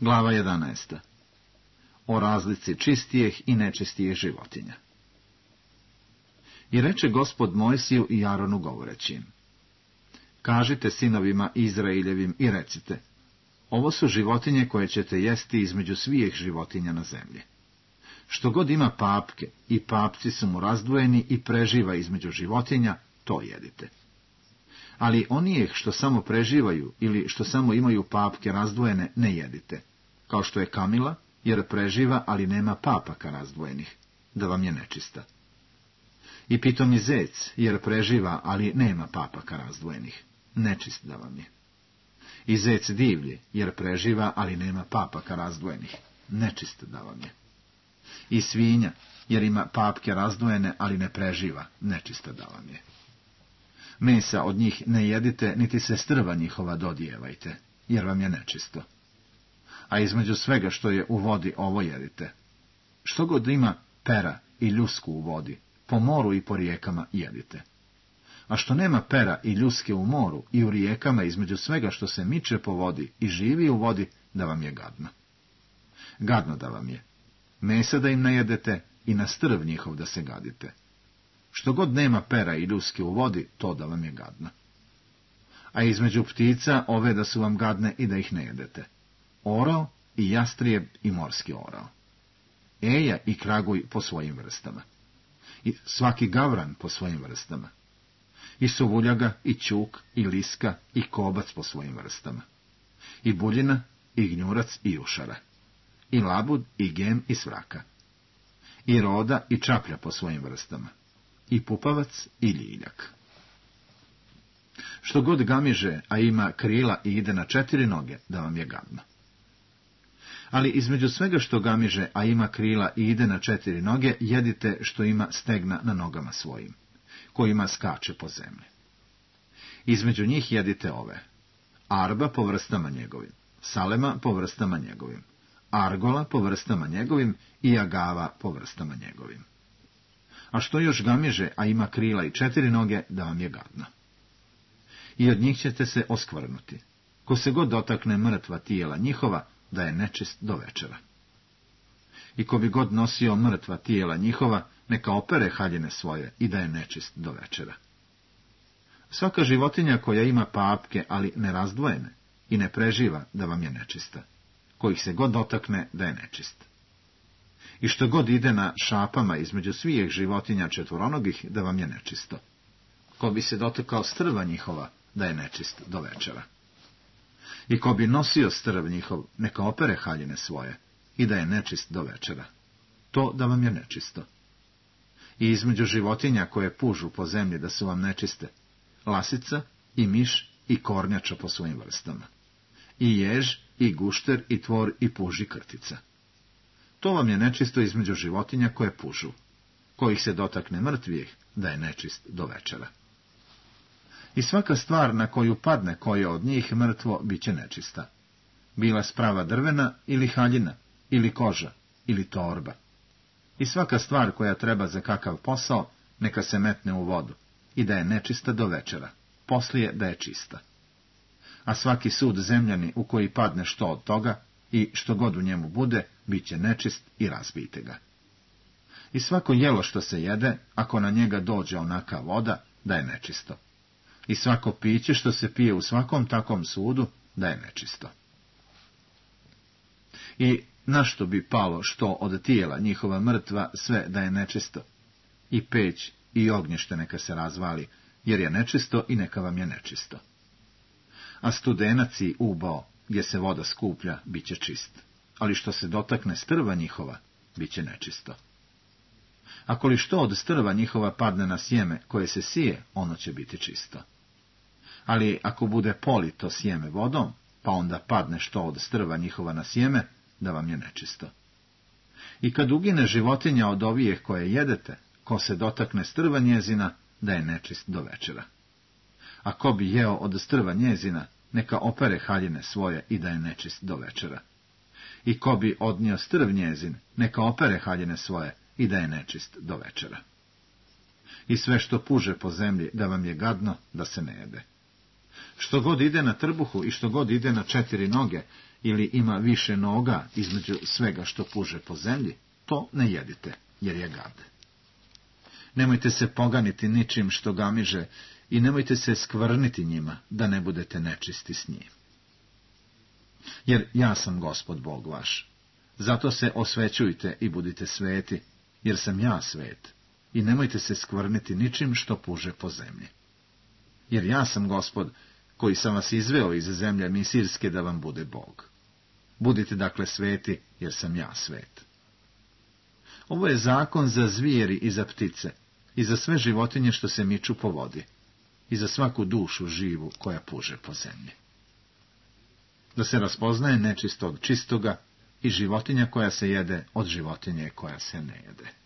Glava 11. O razlici čistijih i nečistijih životinja. I reče Gospod Mojsiju i Aronu govoreći im: Kažite sinovima Izraeljevim i recite: ovo su životinje koje ćete jesti između svih životinja na zemlji. Što god ima papke i papci su mu razdvojeni i preživa između životinja, to jedite. Ali onijeh što samo preživaju ili što samo imaju papke razdvojene, ne jedite, kao što je kamila, jer preživa, ali nema papaka razdvojenih, da vam je nečista. I pitomi zec, jer preživa, ali nema papaka razdvojenih, nečist da vam je. I zec divlji, jer preživa, ali nema papaka razdvojenih, nečist da vam je. I svinja, jer ima papke razdvojene, ali ne preživa, nečista da vam je. Mesa od njih ne jedite, niti se strva njihova dodijevajte, jer vam je nečisto. A između svega što je u vodi ovo jedite. Što god ima pera i ljusku u vodi, po moru i po rijekama jedite. A što nema pera i ljuske u moru i u rijekama, između svega što se miče po vodi i živi u vodi, da vam je gadno. Gadno da vam je. Mesa da im ne jedete i na strv njihov da se gadite. Što god nema pera i ljuske u vodi, to da vam je gadno. A između ptica ove da su vam gadne i da ih ne jedete. Orao i jastrijeb i morski orao. Eja i kraguj po svojim vrstama. I svaki gavran po svojim vrstama. I suvuljaga, i ćuk, i liska, i kobac po svojim vrstama. I buljina, i gnjurac, i jušara. I labud, i gem, i svraka. I roda, i čaplja po svojim vrstama. I pupavac, i ljiljak. Što god gamiže, a ima krila i ide na 4 noge, da vam je gadno. Ali između svega što gamiže, a ima krila i ide na 4 noge, jedite što ima stegna na nogama svojim, kojima skače po zemlji. Između njih jedite ove: arba po vrstama njegovim, salema po vrstama njegovim, argola po vrstama njegovim i agava po vrstama njegovim. A što još gamiže, a ima krila i 4 noge, da vam je gadno. I od njih ćete se oskvrnuti. Ko se god dotakne mrtva tijela njihova, da je nečist do večera. I ko bi god nosio mrtva tijela njihova, neka opere haljine svoje i da je nečist do večera. Svaka životinja koja ima papke, ali nerazdvojene i ne preživa, da vam je nečista. Kojih se god dotakne, da je nečist. I što god ide na šapama između svih životinja četvoronogih, da vam je nečisto. Ko bi se dotakao strva njihova, da je nečist do večera. I ko bi nosio strv njihov, neka opere haljine svoje i da je nečist do večera. To da vam je nečisto. I između životinja koje pužu po zemlji da su vam nečiste, lasica i miš i kornjača po svojim vrstama. I jež, i gušter, i tvor, i puži krtica. To vam je nečisto između životinja koje pužu. Kojih se dotakne mrtvih, da je nečist do večera. I svaka stvar na koju padne koje od njih mrtvo, bit će nečista. Bila sprava drvena ili haljina, ili koža, ili torba. I svaka stvar koja treba za kakav posao, neka se metne u vodu, i da je nečista do večera, poslije da je čista. A svaki sud zemljani u koji padne što od toga, i što god u njemu bude, bit će nečist i razbijte ga. I svako jelo što se jede, ako na njega dođe onaka voda, da je nečisto. I svako piće što se pije u svakom takvom sudu, da je nečisto. I na što bi palo što od tijela njihova mrtva, sve da je nečisto. I peć i ognjište neka se razvali, jer je nečisto i neka vam je nečisto. A studenac i ubao, gdje se voda skuplja, bit će čist. Ali što se dotakne strva njihova, bit će nečisto. Ako li što od strva njihova padne na sjeme koje se sije, ono će biti čisto. Ali ako bude polito sjeme vodom, pa onda padne što od strva njihova na sjeme, da vam je nečisto. I kad ugine životinja od ovijeh koje jedete, ko se dotakne strva njezina, da je nečist do večera. A ko bi jeo od strva njezina, neka opere haljine svoje i da je nečist do večera. I ko bi odnio strv njezin, neka opere haljine svoje i da je nečist do večera. I sve što puže po zemlji, da vam je gadno, da se ne jede. Što god ide na trbuhu i što god ide na 4 noge, ili ima više noga između svega što puže po zemlji, to ne jedite, jer je gad. Nemojte se poganiti ničim što gamiže i nemojte se skvrniti njima, da ne budete nečisti s njim. Jer ja sam Gospod Bog vaš. Zato se osvećujte i budite sveti, jer sam ja svet. I nemojte se skvrniti ničim što puže po zemlji. Jer ja sam Gospod, koji sam vas izveo iz zemlje Misirske da vam bude Bog. Budite dakle sveti, jer sam ja svet. Ovo je zakon za zvijeri i za ptice, i za sve životinje što se miču po vodi, i za svaku dušu živu koja puže po zemlji. Da se raspoznaje nečisto od čistoga i životinja koja se jede od životinje koja se ne jede.